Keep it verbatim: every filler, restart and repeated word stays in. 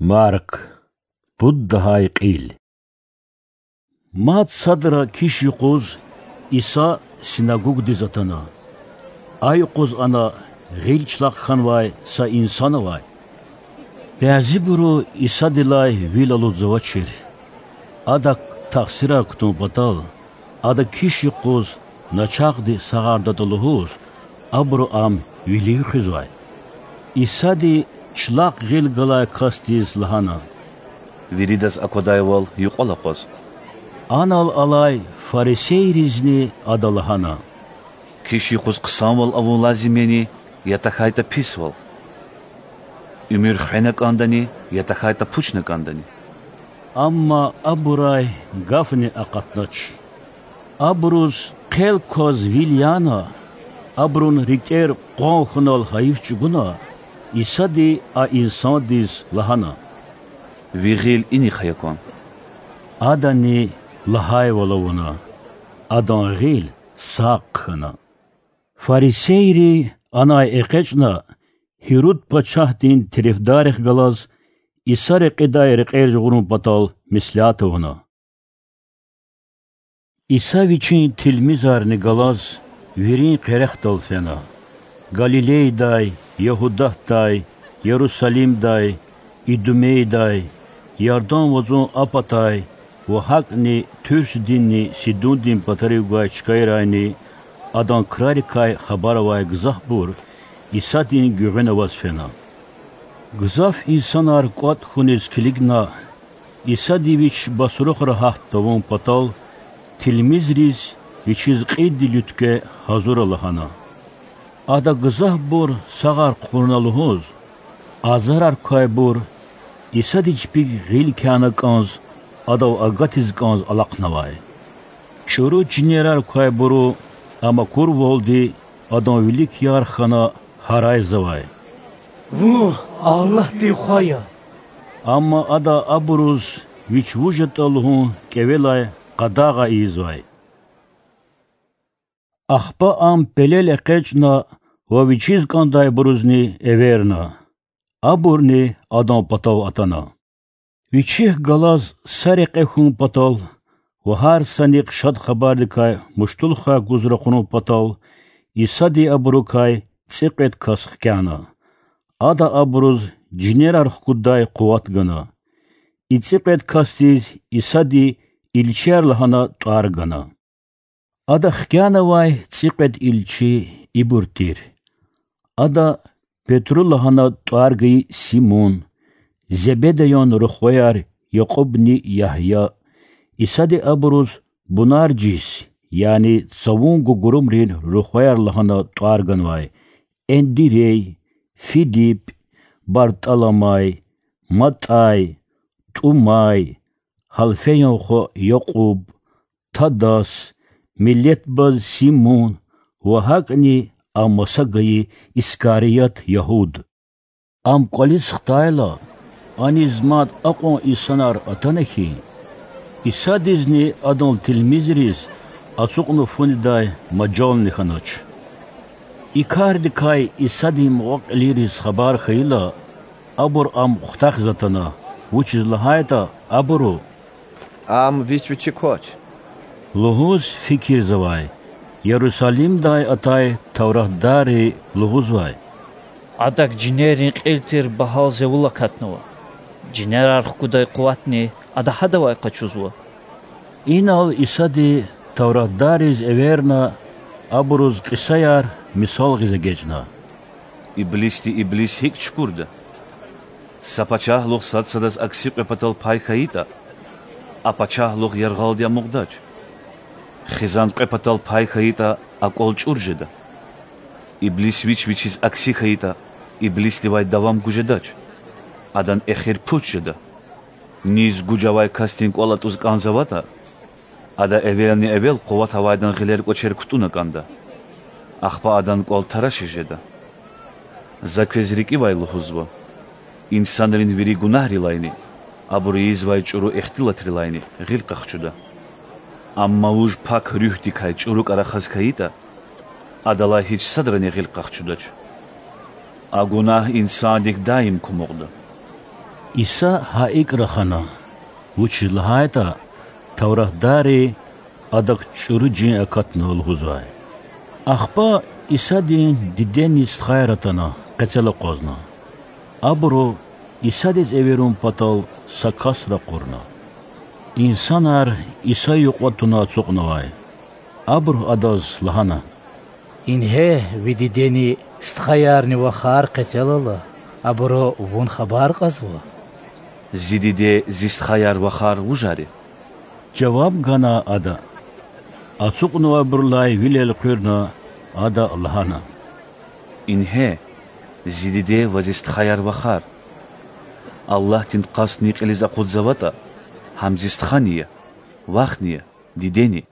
Марк, пуд лагьай кьил. Мад садра киш юкъуз Иса синагогдиз атана. А юкъуз ана гъил члахъ хьанвай са инсан авай. Бязибуру Исадилай вил алудзавачир. Адак тахсирар кутун патал, ада киш юкъуз начагъди сагъардатӀа лугьуз, абуру ам вилив хуьзвай. Исади члахъ гъил галай касдиз лагьана: Виридаз аквадайвал юкьвал акъваз. Анал алай фарисейризни ада лагьана: Киш юкъуз хъсанвал авун лазим яни, я тахьайтӀа писвал? Уьмуьр хвена кӀандани, я тахьайтӀа пучна кӀандани? Амма абурай гафни акъатнач. Абуруз хъел кваз вил яна, абурун рикӀер къван хьунал гьайиф чӀугуна, Исади а инсандиз лагьана: Ви гъил инихъ ая кван. Адани лагьайвал авуна, адан гъил сагъ хьана. Фарисейри, анай экъечӀна, Гьируд пачагьдин терефдаррихъ галаз Иса рекьидай рекьер жагъурун патал меслят авуна. Иса вичин тилмизарни галаз вирин къерехдал фена: Галилейдай, Ягьудатдай, Ярусалимдай, Идумейдай, Ярдан вацӀун а патай ва гьакӀни Туьрсдинни Сидундин патарив гвай чкайрайни адан крарикай хабар авай гзафбур Исадин гуьгъуьна аваз фена. Гзаф инсанар кӀватӀ хьуниз килигна, Исади Вич басрухра гьат тавун патал, тилмизриз Вичиз кьилди луьткве гьазура лагьана. Ада гзафбур сагъар хъувуна лугьуз, азарар квайбур Исади чпик гъил кяна кӀанз, Адав агатиз кӀанз алахънавай. ЧӀуру жинерар квайбуру, ам акурвалди, Адан вилик яр хьана гьарайзавай: Вун Аллагьдин Хва я! Амма Ада абуруз Вич вуж ятӀа лугьун кӀевелай къадагъа ийизвай. Ахпа Ам пелел экъечӀна ва Вичиз кӀандайбурузни эверна. Абурни Адан патав атана. Вичихъ галаз са рекье хьун патал ва гьар санихъ Шад Хабардикай муштулухъай гуз ракъурун патал, Исади абурукай цӀикьвед кас хкяна. Ада абуруз жинерар хкуддай къуват гана. И цӀикьвед касдиз Исади илчияр лагьана тӀвар гана. Ада хкянавай цӀикьвед илчи ибур тир: Ада Петру лагьана тӀвар гайи Симун, Зебедеян рухваяр Якьубни Ягья, Исади абуруз Бунаржис, яни цавун гугурумрин рухваяр лагьана тӀвар ганвай, Эндирей, Филип, БартӀаламай, МатӀай, ТӀумай, Гьалфеян хва Якьуб, Тадас, миллетбаз Симун ва гьакӀни а маса гайи Искарият Ягьуд. Ам кӀвализ хтайла, аниз мад акьван инсанар атана хьи, Исадизни Адан тилмизриз ацукьна фу недай мажални хьанач. И кардикай Исадин мукьва-кьилийриз хабар хьайила, абур Ам хутахиз атана, вучиз лагьайтӀа абуру: Ам Вич Вичи квач лугьуз фикирзавай. Ярусалимдай атай тавратдарри лугьузвай: Адак жинеррин кьил тир багьал зевул акатнава. Жинерар хкудай къуватни Ада гьадавай къачузва. Инал Исади тавратдарриз эверна, абуруз кьисаяр мисал гъиз эгечӀна: Иблисди иблис гьикӀ чукурда? Са пачагьлугъ сад садаз акси кьве патал пай хьайитӀа, а пачагьлугъ яргъалди амукьдач. Хизан кьве патал пай хьайитӀа, а кӀвал чӀур жеда. Иблис вич вичиз акси хьайитӀа, иблисдивай давам гуз жедач, адан эхир пуч жеда. Низ гуж авай касдин кӀвал атӀуз кӀанзаватӀа, ада эвелни-эвел къуват авайдан гъилер-кӀвачер кутӀуна кӀанда, ахпа адан кӀвал тарашиз жеда. За квез рикӀивай лугьузва: инсанрин вири гунагьрилайни абуру ийизвай чӀуру ихтилатрилайни гъил къахчуда. Амма вуж Пак Руьгьдикай чӀурукай рахаз хьайитӀа, адалай гьич садрани гъил къахчудач. А гунагь инсандик даим кумукьда. Иса гьа икӀ рахана, вучиз лагьайтӀа тавратдарри Адак чӀуру жин акатнава лугьузвай. Ахпа Исадин дидени стхаяр атана къецел акъвазна. Абуру Исадиз эверун патал са кас ракъурна. Инсанар Иса юкьва туна ацукьнавай. Абуру Адаз лагьана: Ингье, ви дидени стхаярни вахар къецел ала, абуру Вун хабар кьазва. Зи диде, зи стхаяр, вахар вужар я? жаваб гана Ада. Ацукьнавайбурулай вил элкъуьрна, Ада лагьана: Ингье, зи диде ва зи стхаяр, вахар! Аллагьдин къастни кьилиз акъудзаватӀа, гьам зи стхани я, вахни я, дидени.